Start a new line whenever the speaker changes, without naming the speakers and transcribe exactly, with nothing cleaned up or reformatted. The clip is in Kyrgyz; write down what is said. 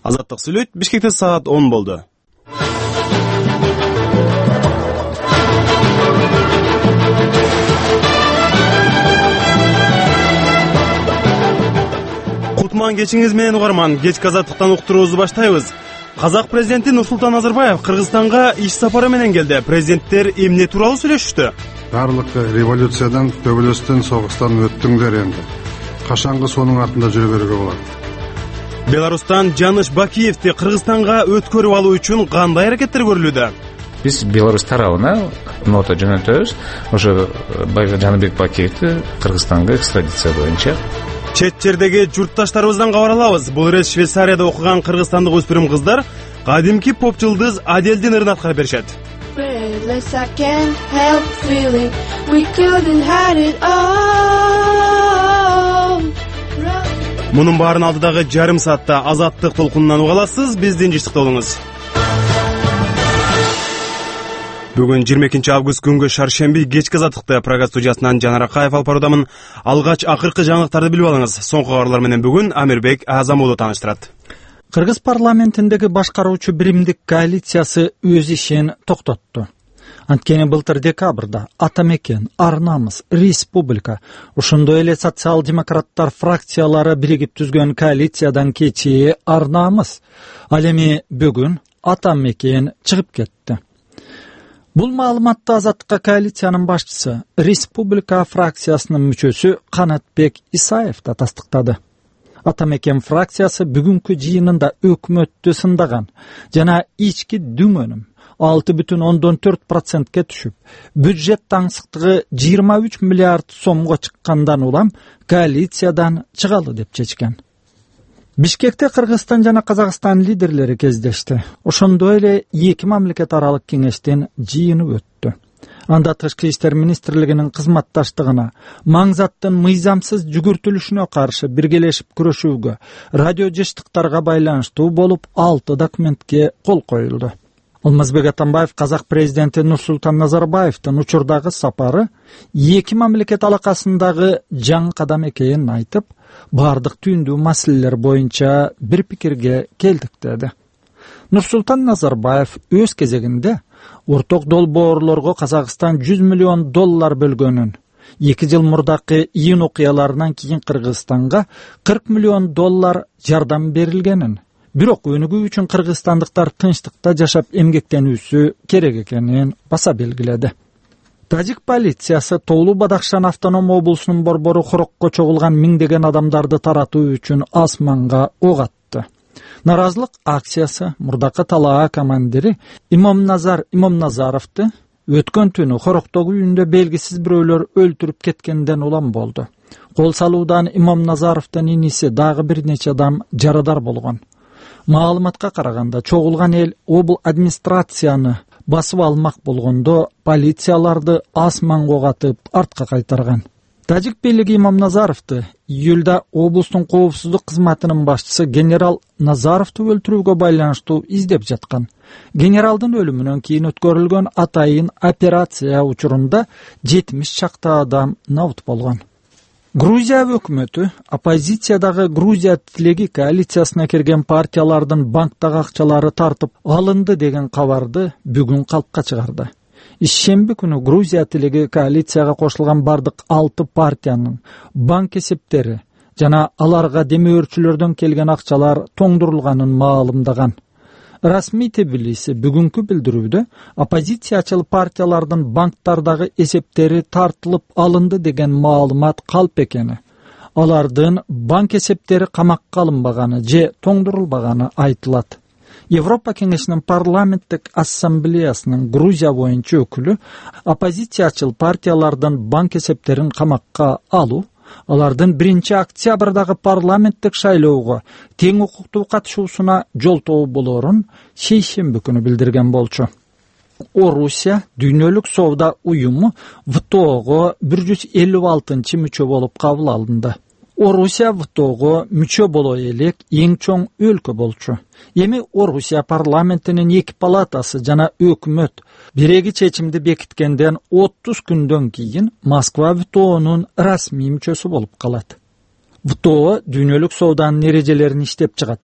Азаттык сүйлөйт. Бишкекте саат он болду. Кутман кечиңиз менен угарман. Кечки азаттыктан уктуруубузду баштайбыз. Казак президенти Нурсултан Назарбаев Кыргызстанга иш сапары менен келди. Президенттер эмне тууралуу сүйлөшүштү?
Барлык революциядан, төбөлөстөн, согуштан өттүңдер энди. Кашанкы сонун артында жүрө берүүгө болот.
Беларустан Жаныш Бакиевди Кыргызстанга өткөрүп алуу үчүн кандай аракеттер көрүлүүдө?
Биз Беларусь тарабына нота жөнөтөбүз. Ошо Жаныбек Бакиевди Кыргызстанга экстрадиция боюнча.
Чет жердеги журтташтарыбыздан кабар алабыз. Бул ирет Швейцарияда окуган кыргызстандык өспүрүм кыздар кадимки поп жылдыз Аделдин ырын аткарып беришет. Мунун баарын алдыдагы жарым саатта азаттык толкунунан уга аласыз. Биздин жыштыкта болуңуз. Бүгүн жыйырма экинчи август күнгө шаршемби кечки азаттыкты программа студиясынан Жанар Акаев алып баруудамын. Алгач акыркы жаңылыктарды билип алыңыз. Соңку кабарлар менен бүгүн Амирбек Азам уулу тааныштырат.
Кыргыз парламентиндеги башкаруучу биримдик коалициясы өз ишин токтотту. Анткени былтыр декабрда Ата мекен, Ар намыс, Республика, ошондой эле социал-демократтар фракциялары биригип түзгөн коалициядан кечээ Ар намыс, ал эми бүгүн Ата мекен чыгып кетти. Бул маалыматты Азаттыкка коалициянын башчысы, Республика фракциясынын мүчөсү Канатбек Исаев да тастыктады. Ата мекен фракциясы бүгүнкү жыйынында өкмөттү сындаган жана ички дүңөнүм алты бүтүн ондон төрт процентке түшүп, бюджет таңсыктыгы жыйырма үч миллиард сомго чыккандан улам коалициядан чыгалы деп чечкен. Бишкекте Кыргызстан жана Казакстан лидерлери кездешти. Ошондой эле эки мамлекет аралык кеңештин жыйыны өттү. Анда Тышкы иштер министрлигинин кызматташтыгына, маңзаттын мыйзамсыз жүгүртүлүшүнө каршы биргелешип күрөшүүгө, радио жыштыктарга байланыштуу болуп алты документке кол коюлду. Алмазбек Атамбаев Казак президенти Нурсултан Назарбаевдин учурдагы сапары эки мамлекет алакасындагы жаңы кадам экенин айтып, бардык түйүндүү маселелер боюнча бир пикирге келдик деди. Нурсултан Назарбаев өз кезегинде орток долбоорлорго Казакстан жүз миллион доллар бөлгөнүн, эки жыл мурдакы июнь окуяларынан кийин Кыргызстанга кырк миллион доллар жардам берилгенин, бирок өнүгүү үчүн кыргызстандыктар тынчтыкта жашап эмгектенүүсү керек экенин баса белгиледи. Тажик полициясы Тоолуу Бадахшан автоном облусунун борбору Хорокко чогулган миңдеген адамдарды таратуу үчүн асманга ок атты. Наразылык акциясы мурдакы талаа командири Имомназар Имомназаровду өткөн түнү Хороктогу үйүндө белгисиз бирөөлөр өлтүрүп кеткенден улам болду. Кол салуудан Имомназаровдун иниси дагы бир нече адам жарадар болгон. Маалыматка караганда чогулган эл обл администрацияны басып алмак болгондо полицияларды асманга ок атып артка кайтарган. Тажик бийлиги Имомназаровду июлда облустун коопсуздук кызматынын башчысы генерал Назаровду өлтүрүүгө байланыштуу издеп жаткан. Генералдын өлүмүнөн кийин өткөрүлгөн атайын операция учурунда жетимиш чакты адам набыт болгон. Грузия өкмөтү оппозициядагы Грузия тилеги коалициясына кирген партиялардын банктагы акчалары тартып алынды деген кабарды бүгүн калпка чыгарды. Ишемби күнү Грузия тилеги коалицияга кошулган бардык алты партиянын банк эсептери жана аларга демөөрчүлөрдөн келген акчалар тоңдурулганын маалымдаган. Расмий Тбилиси бүгүнкү билдирүүдө оппозициячыл партиялардын банктардагы эсептери тартылып алынды деген маалымат калп экени, алардын банк эсептери камакка алынбаганы же тоңдурулбаганы айтылат. Европа кеңешинин парламенттик ассамблеясынын Грузия боюнча өкүлү оппозициячыл партиялардын банк эсептерин камакка алуу, алардын биринчи октябрдагы парламенттик шайлоого тең укуктуу катышуусуна жолтоо болоорун шейшемби күнү билдирген болчу. Орусия дүйнөлүк соода уюму вэ тэ оого бир жүз элүү алтынчы мүчө болуп кабыл алынды. Орусия вэ тэ оого мүчө боло элек эң чоң өлкө болчу. Эми Орусия парламентинин эки палатасы жана өкмөт биреги чечимди бекиткенден отуз күндөн кийин Москва вэ тэ оонун расмий мүчөсү болуп калат. вэ тэ о дүйнөлүк сооданын эрежелерин иштеп чыгат.